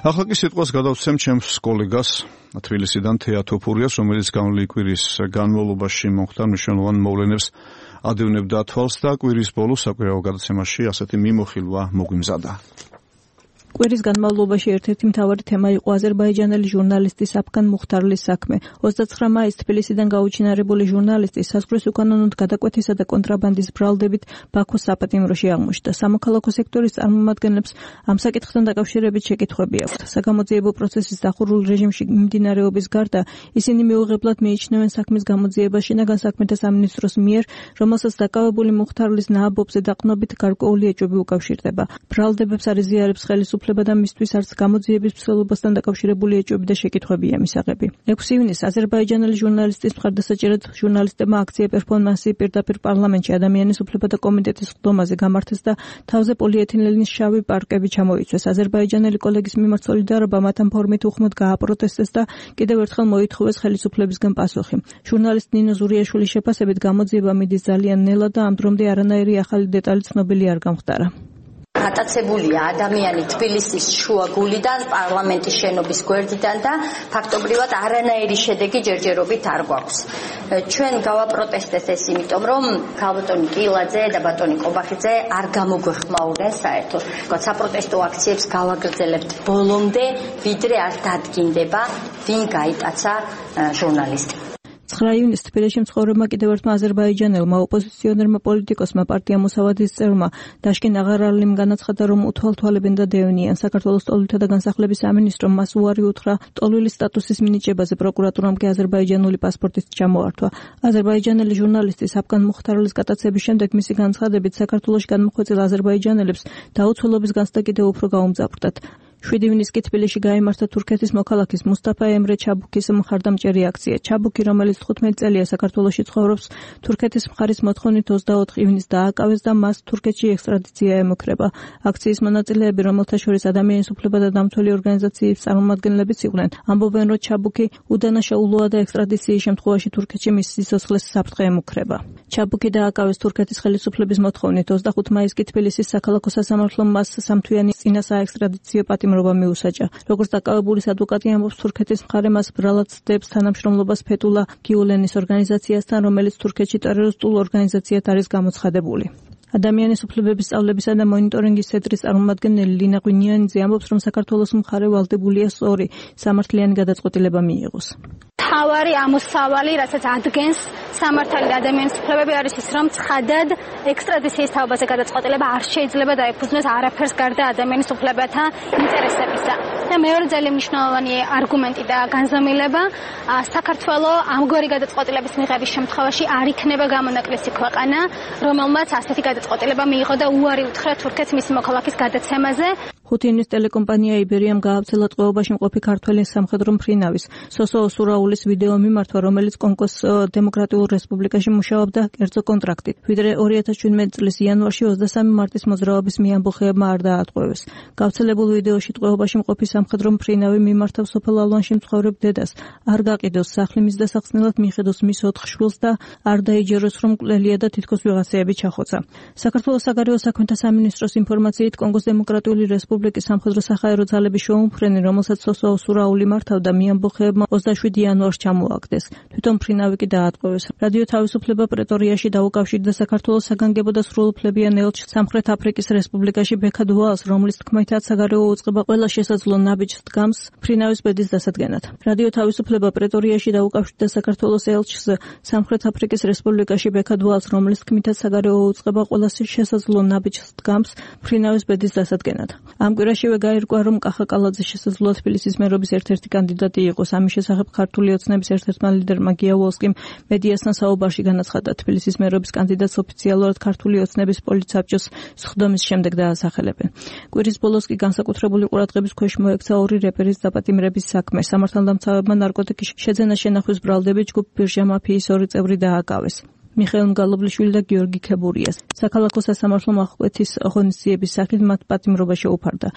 ახლა კი სიტყვას გადავცემ ჩემს კოლეგას თბილისიდან თეა თოფურიას, რომელიც გამოვლილი კვირის განმავლობაში მომხდარ მნიშვნელოვან მოვლენებს ადევნებდა თვალს და კვირის ბოლოს საკვირაო გადაცემაში ასეთი მიმოხილვა მოგვიმზადა. კვირის განმავლობაში ერთ-ერთი მთავარი თემა იყო აზერბაიჯანელი ჟურნალისტის აფგან მუხთარლის საქმე. 29 მაისს თბილისიდან გაუჩინარებული ჟურნალისტი საზღვრის უკანონოდ გადაკვეთისა და კონტრაბანდის ბრალდებით ბაქოს საპატიმროში აღმოჩნდა. სამოქალაქო სექტორის წარმომადგენლებს ამ საკითხთან დაკავშირებით შეკითხვები აქვთ. საგამოძიებო პროცესის დახურულ რეჟიმში მიმდინარეობის გარდა ისინი მეუღებლად მიიჩნევენ საქმის გამოძიებას შინაგან საქმეთა სამინისტროს მიერ, რომელსაც დაკავებული მუხთარლის ნააბობზე დაყრდნობით გარკვეული ეჭვები უკავშირდება. ბრალდებებს არ იზიარებს ხელისუფლება და მისთვის არც გამოძიების მსვლელობასთან დაკავშირებული ეჭვები და შეკითხვებია მისაღები. 6 ივნისს აზერბაიჯანელი ჟურნალისტის მხარდასაჭერად ჟურნალისტებმა აქცია პერფორმანსი პირდაპირ პარლამენტში ადამიანის უფლებათა კომიტეტის ხდომაზე გამართეს და თავზე პოლიეთილენის შავი პარკები ჩამოიცვეს. აზერბაიჯანელი კოლეგის მიმართ სოლიდარობა მათ ამ ფორმით უხმოდ გააპროტესტეს და კიდევ ერთხელ მოითხოვეს ხელისუფლებისგან პასუხი. ჟურნალისტ ნინო ზურიაშვილის შეფასებით გამოძიება მიდის ძალიან ნელა და ამ დრომდე არანაირი ახალი დეტალი ცნობილი არ გამხდარა. გატაცებულია ადამიანი თბილისის შუაგულიდან, პარლამენტის შენობის გვერდიდან და ფაქტობრივად არანაირი შედეგი ჯერჯერობით არ გვაქვს. ჩვენ გავაპროტესტეს ეს იმიტომ, რომ ქალბატონი კილაძე და ბატონი კობახიძე არ გამოგვეხმაურნენ საერთოდ. საპროტესტო აქციებს გავაგრძელებთ ბოლომდე, ვიდრე არ დადგინდება, ვინ გაიტაცა ჟურნალისტი. 9 ივნისს თბილისში მცხოვრებმა კიდევ ერთმა აზერბაიჯანელმა ოპოზიციონერმა პოლიტიკოსმა პარტია მოსავადის წევრმა დაშკინ აღარალიმ განაცხადა, რომ უთვალთვალებენ და დევნიან. საქართველოს ტოლვილთა და განსახლების სამინისტრომ მას უარი უთხრა ტოლვილის სტატუსის მინიჭებაზე, პროკურატურამ კი აზერბაიჯანული პასპორტის ჩამოართვა. აზერბაიჯანელი ჟურნალისტის აფგან მუხთარლის გატაცების შემდეგ მისი განცხადებით საქართველოში განმოხვეწილ აზერბაიჯანელებს დაუცველობის განცდა კიდევ უფრო გაუმძაფრდათ. 7 ივნისს კი თბილისში გაიმართა თურქეთის მოქალაქის მუსტაფა ემრე ჩაბუქის მხარდამჭერი აქცია. ჩაბუქი, რომელიც 15 წელია საქართველოში ცხოვრობს, თურქეთის მხარის მოთხოვნით 24 ივნისს დააკავეს და მას თურქეთში ექსტრადიცია ემუქრება. აქციის მონაწილეები, რომელთა შორის ადამიანის უფლებათა დამცველი ორგანიზაციების წარმომადგენლებიც იყვნენ, ამბობენ, რომ ჩაბუქი უდანაშაულოა და ექსტრადიციის შემთხვევაში თურქეთში მის სიცოცხლეს საფრთხე ემუქრება. ჩაბუქი დააკავეს თურქეთის ხელისუფლების მოთხოვნით 25 მაისს კი თბილისის საქალაქო სასამართლომ მას სამთვიანი წინასაექსტრადიციო პატიმრობა მიუსაჯა. როგორც დაკავებულის ადვოკატი ამბობს, თურქეთის მხარე მას ბრალად ცდებს თანამშრომლობას ფეთულა გიულენის ორგანიზაციასთან, რომელიც თურქეთში ტერორისტულ ორგანიზაციად არის გამოცხადებული. ადამიანის უფლებების სწავლებისა და მონიტორინგის ცენტრის წარმომადგენელი ლინა ღვინიანიძე ამბობს, რომ საქართველოს მხარე ვალდებულია სწორი სამართლიანი გადაწყვეტილება მიიღოს. თავარი ამოსავალი, რასაც ადგენს სამართალი და ადამიანის უფლებები არის ის, რომ ცხადად ექსტრადიციის თაობაზე გადაწყვეტილება არ შეიძლება დაეფუძნოს არაფერს გარდა ადამიანის უფლებათა ინტერესებისა. და მეორე ძალიან მნიშვნელოვანი არგუმენტი და განზომილება, საქართველოს ამგვარი გადაწყვეტილების მიღების შემთხვევაში არ იქნება გამონაკლისი ქვეყანა, რომელმაც ასეთი გადაწყვეტილება მიიღო და უარი უთხრა თურქეთს მისი მოქალაქის გადაცემაზე. 5 ივნისს ტელეკომპანია იბერიამ გაავრცელა ტყვეობაში მყოფი ქართველი სამხედრო მფრინავის სოსო ოსურაულის ვიდეო მიმართვა, რომელიც კონგოს დემოკრატიულ რესპუბლიკაში მუშაობდა კერძო კონტრაქტით. ვიდრე 2017 წლის იანვარში 23 მარტის მოძრაობის მიამბოხეებმა არ დაატყვევეს. გავრცელებულ ვიდეოში ტყვეობაში მყოფი სამხედრო მფრინავი მიმართავს სოფელ ალვანში მცხოვრებ დედას, არ გაყიდოს სახლი მის დასახსნელად, მიხედოს მის 4 შვილს და არ დაიჯეროს, რომ მკვლელია და თითქოს ვიღაცეები ჩახოცა. საქართველოს საგარეო საქმეთა სამინისტროს ინფორმაციით, კონგოს დემოკრატიული რესპუბლიკის სამხედრო საჰაერო ძალების შოუმფრენი, რომელსაც სოსო ოსურაული მართავდა, მიამბოხეებმა 27 იანვარს ჩამოაგდეს. თვითონ მფრინავი კი დაატყვევეს. რადიო თავისუფლება პრეტორიაში დაუკავშირდა საქართველოს საგანგებო და სრულუფლებიან ელჩს სამხრეთ აფრიკის რესპუბლიკაში ბექად ვალს, რომლის თქმითაც საგარეო უწყება ყველა შესაძლო ნაბიჯს დგამს მფრინავის ბედის დასადგენად. რადიო თავისუფლება პრეტორიაში დაუკავშირდა საქართველოს ელჩს სამხრეთ აფრიკის რესპუბლიკაში ბექად ვალს, რომლის თქმითაც საგარეო უწყება ყველა შესაძლო ნაბიჯს დგამს მფრინავის ბედის დასადგენად. ამ კვირაშივე გაირკვა, რომ კახა კალაძე შესაძლოა თბილისის მერობის ერთ-ერთი კანდიდატი იყოს. ამის შესახებ ქართული ოცნების ერთ-ერთმა ლიდერმა გია ვოლსკიმ მედიასთან საუბარში განაცხადა, თბილისის მერობის კანდიდატს ოფიციალურად ქართული ოცნების პოლიტსაბჭოს სხდომის შემდეგ დაასახელებენ. კვირის ბოლოს კი განსაკუთრებული ყურადღების ქვეშ მოექცა ორი რეპერის დაპატიმრების საქმე. სამართალდამცავებმა ნარკოტიკის შეძენა შენახვის ბრალდებით ჯგუფ ბირჟა მაფიის 2 წევრი დააკავეს. მიხეილ მგალობლიშვილი და გიორგი ქებურიას. საქალაქო სასამართლო აღკვეთის ღონისძიების სახით მათ პატიმრობა შეუფარდა.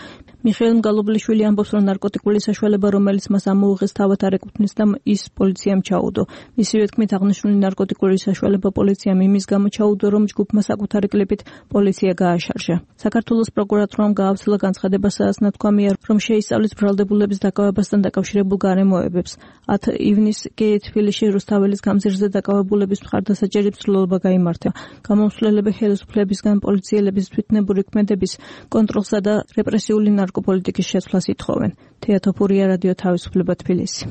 მიხეილ მგალობლიშვილი ამბობს, რომ ნარკოტიკული საშუალება, რომელიც მას ამოუღეს, თავად არ ეკუთვნის და ის პოლიციამ ჩაუდო. მისივე თქმით, აღნიშნული ნარკოტიკული საშუალება პოლიციამ იმის გამო ჩაუდო, რომ ჯგუფმა საკუთარი კლიპით პოლიცია გააშარჟა. საქართველოს პროკურატურამ გაავრცელა განცხადება, სადაც ნათქვამია, რომ შეისწავლის ბრალდებულების დაკავებასთან დაკავშირებულ გარემოებებს. 10 ივნისს კი თბილისში რუსთაველის გამზირზე დაკავებულების მხარდასაჭერი ცვლილება გაიმართა. გამომსვლელები ხელისუფლებისგან პოლიციელების თვითნებური ქმედების კონტროლსა და რეპრესიული ნარკოპოლიტიკის შეცვლას ითხოვენ. თეა თოფურია, რადიო თავისუფლება, თბილისი.